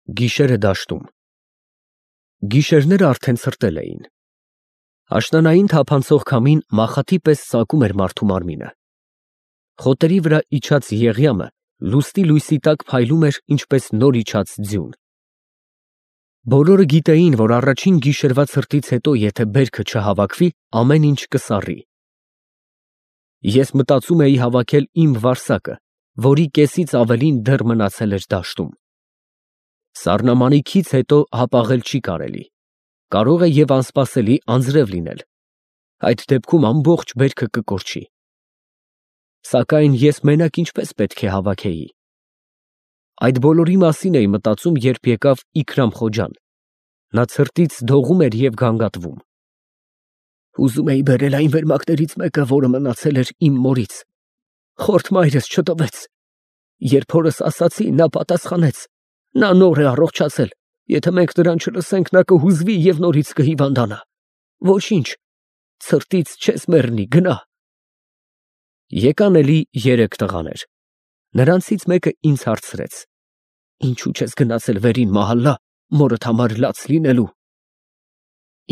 Գիշերը դաշտում։ Գիշերները արդեն ցրտել էին։ Աշնանային թափանցող քամին մախաթի պես ծակում էր մարդու մարմինը։ Խոտերի վրա իջած եղյամը լուսնի լույսի տակ փայլում էր ինչպես նոր իջած ձյուն։ Բոլորը գիտեին, որ առաջին գիշերվա ցրտից հետո եթե բերքը չհավաքվի, ամեն ինչ կսառի։ Ես մտածում էի հավաքել իմ վարսակը, որի կեսից ավելին դեռ մնացել էր դաշտում։ Սառնամանիքից հետո հապաղել չի կարելի, կարող է և անսպասելի անձրև լինել, այդ դեպքում ամբողջ բերքը կկորչի։ Սակայն ես մենակ ինչպես պետք է հավաքեի։ Այդ բոլորի մասին էի մտածում, երբ եկավ Իքրամ Խոջան, նա ցրտից դողում էր և գանգատվում։ Ուզում էի բերել այն վերմակներից մեկը, որը մնացել էր իմ մորից, խորթ մայրս չտվեց, երբ հորս ասացի, նա պատասխանեց. նա նոր է առողջացել, եթե մենք նրան չլսենք, նա կհուզվի և նորից կհիվանդանա, ոչինչ, ցրտից չես մեռնի, գնա։ Եկան էլի 3 տղաներ, նրանցից մեկը ինձ հարցրեց. ինչու չես գնացել վերին մահալա, մորդ համար լաց լինելու։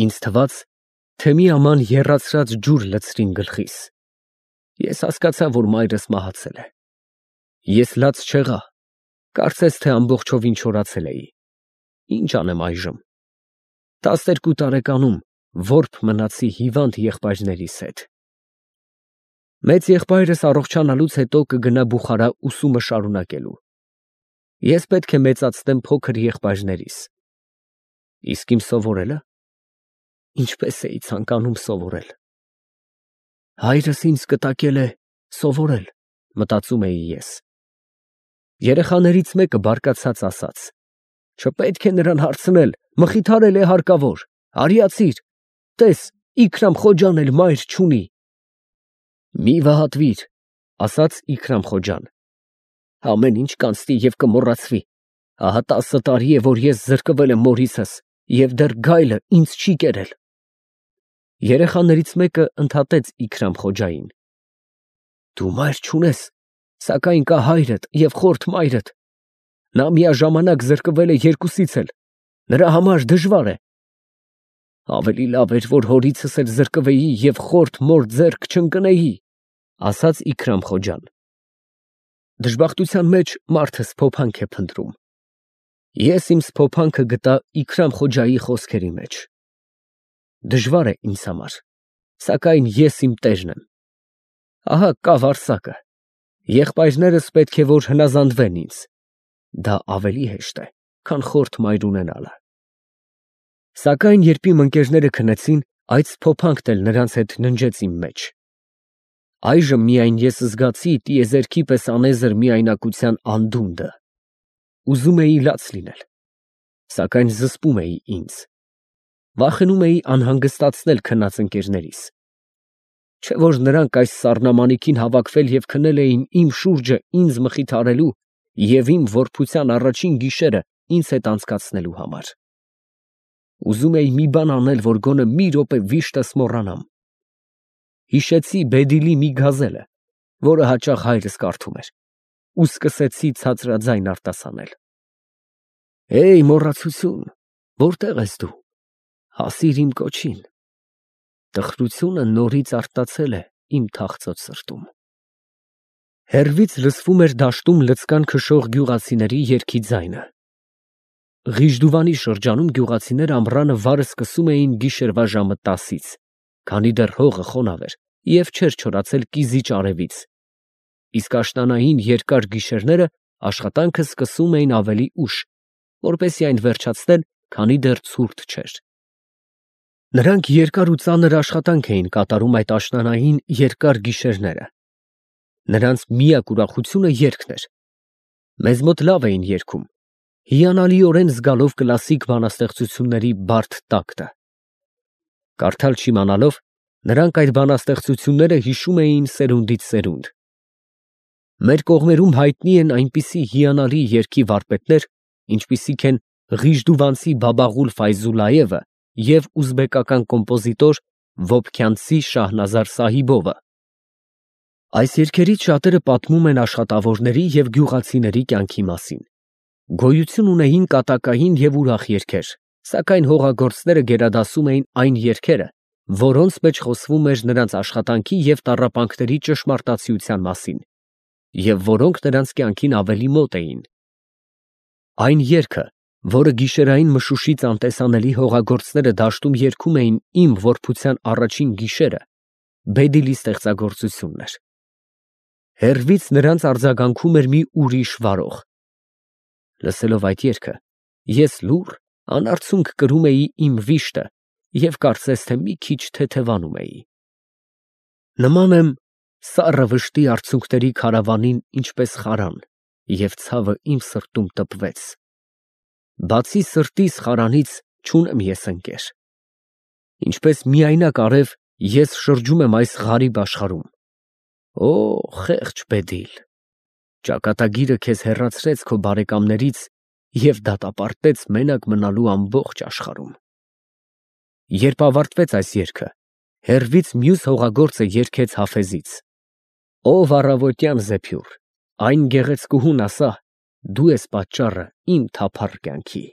Ինձ թվաց, թե մի աման եռացրած ջուր լցրին գլխիս։ Ես հասկացա, որ մայրս մահացել է։ Ես լաց չեղա, կարծես թե ամբողջովին չորացել էի։ Ինչ անեմ այժմ։ 12 տարեկանում որբ մնացի հիվանդ եղբայրներիս հետ։ Մեծ եղբայրս առողջանալուց հետո կգնա Բուխարա ուսումը շարունակելու։ Ես պետք է մեծացնեմ փոքր եղբայրներիս։ Իսկ իմ սովորելը։ Ինչպես էի ցանկանում սովորել։ Հայրս ինձ կտակել է սովորել, մտածում էի ես։ Երեխաներից մեկը բարկացած ասաց. չպետք է նրան հարցնել, մխիթարել է հարկավոր, արիացիր, տես, Իքրամ Խոջան էլ մայր չունի։ Մի վհատվիր, ասաց Իքրամ Խոջան, ամեն ինչ կանցնի և կմոռացվի, ահա 10 տարի է, որ ես զրկվել եմ մորիցս և դեռ գայլը ինձ չի կերել։ Երեխաներից մեկը ընդհատեց Իքրամ Խոջային. դու մայր չունես, սակայն կա հայրդ և խորթ մայրդ, նա միաժամանակ զրկվել է երկուսից էլ, նրա համար դժվար է։ Ավելի լավ էր, որ հորիցս էլ զրկվեի և խորթ մոր ձեռք չընկնեի, ասաց Իքրամ Խոջան։ Դժբախտության մեջ մարդը սփոփանք է փնտրում։ Ես իմ սփոփանքը գտա Իքրամ Խոջայի խոսքերի մեջ։ Դժվար է ինձ համար, սակայն ես իմ տերն եմ։ Ահա կա վարսակը, եղբայրներս պետք է որ հնազանդվեն ինձ, դա ավելի հեշտ է, քան խորթ մայր ունենալը։ Սակայն երբ իմ ընկերները քնեցին, այդ սփոփանքն էլ նրանց հետ ննջեց իմ մեջ։ Այժմ միայն ես զգացի տիեզերքի պես անեզր միայնակության անդունդը։ Ուզում էի լաց լինել, սակայն զսպում էի ինձ։ Վախենում էի անհանգստացնել քնած ընկերներիս։ Չէ որ նրանք այս սառնամանիքին հավաքվել և քնել էին իմ շուրջը ինձ մխիթարելու և իմ որբության առաջին գիշերը ինձ հետ անցկացնելու համար։ Ուզում էի մի բան անել, որ գոնե մի րոպե վիշտս մոռանամ։ Հիշեցի Բեդիլի մի գազելը, որը հաճախ հայրս կարդում էր, ու սկսեցի ցածրաձայն արտասանել. Էյ մոռացություն, որտե՞ղ ես դու, հասիր իմ կոչին, տխրությունը նորից արտացել է իմ թախծոտ սրտում։ Հեռվից լսվում էր դաշտում լծկան քշող գյուղացիների երգի ձայնը։ Ղիժդուվանի շրջանում գյուղացիները ամռանը վարը սկսում էին գիշերվա ժամը 10-ից, քանի դեռ հողը խոնավ էր և չէր չորացել կիզիչ արևից, իսկ աշնանային երկար գիշերները աշխատանքը սկսում էին ավելի ուշ, որպեսզի այն վերջացնել, քանի դեռ ցուրտ չէր։ Նրանք երկար ու ծանր աշխատանք էին կատարում այդ աշնանային երկար գիշերները։ Նրանց միակ ուրախությունը երգն էր։ Մեզ մոտ լավ էին երգում, հիանալիորեն զգալով կլասիկ բանաստեղծությունների բարդ տակտը։ Կարդալ չիմանալով, նրանք այդ բանաստեղծությունները հիշում էին սերունդից սերունդ։ Մեր կողմերում հայտնի են այնպիսի հիանալի երգի վարպետներ, ինչպիսիք են ղիժդուվանցի Բաբաղուլ Ֆայզուլլայևը և ուզբեկական կոմպոզիտոր Վոբքյանցի Շահնազար Սահիբովը։ Այս երգերից շատերը պատմում են աշխատավորների և գյուղացիների կյանքի մասին։ Գոյություն ունեին կատակային և ուրախ երգեր, սակայն հողագործները գերադասում էին այն երգերը, որոնց մեջ խոսվում էր նրանց աշխատանքի և տառապանքների ճշմարտացիության մասին, և որոնք նրանց կյանքին ավելի մոտ էին։ Այն երգը, որը գիշերային մշուշից անտեսանելի հողագործները դաշտում երգում էին իմ որբության առաջին գիշերը, Բեդիլի ստեղծագործությունն էր։ Հեռվից նրանց արձագանքում էր մի ուրիշ վարող։ Լսելով այդ երգը, ես լուռ, անարցունք կրում էի իմ վիշտը և կարծես թե մի քիչ թեթևանում էի։ Նման եմ սառը վշտի արցունքների քարավանին, ինչպես խարան, և ցավը իմ սրտում տպվեց։ Բացի սրտիս խարանից չունեմ ես ընկեր։ Ինչպես միայնակ արև, ես շրջում եմ այս ғարիբ աշխարհում։ Օ, խեղճ Բեդիլ, ճակատագիրը քեզ հեռացրեց քո բարեկամներից և դատապարտեց մենակ մնալու ամբողջ աշխարհում։ Երբ ավարտվեց այս երգը, հեռվից մյուս հողագործը երգեց Հաֆեզից. «Ով առավոտյան զեփյուռ, այն գեղեցկուհուն ասա. դու ես պատճառը իմ թափառ կյանքի»։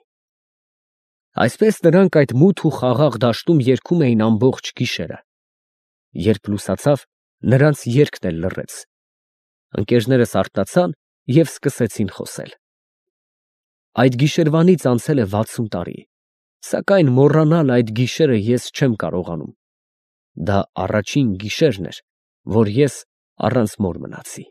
Այսպես նրանք այդ մութ ու խաղաղ դաշտում երգում էին ամբողջ գիշերը։ Երբ լուսացավ, նրանց երգն էլ լռեց։ Ընկերներս արթնացան և սկսեցին խոսել։ Այդ գիշերվանից անցել է 60 տարի, սակայն մոռանալ այդ գիշերը ես չեմ կարողանում։ Դա առաջին գիշերն էր, որ ես առանց մոր մնացի։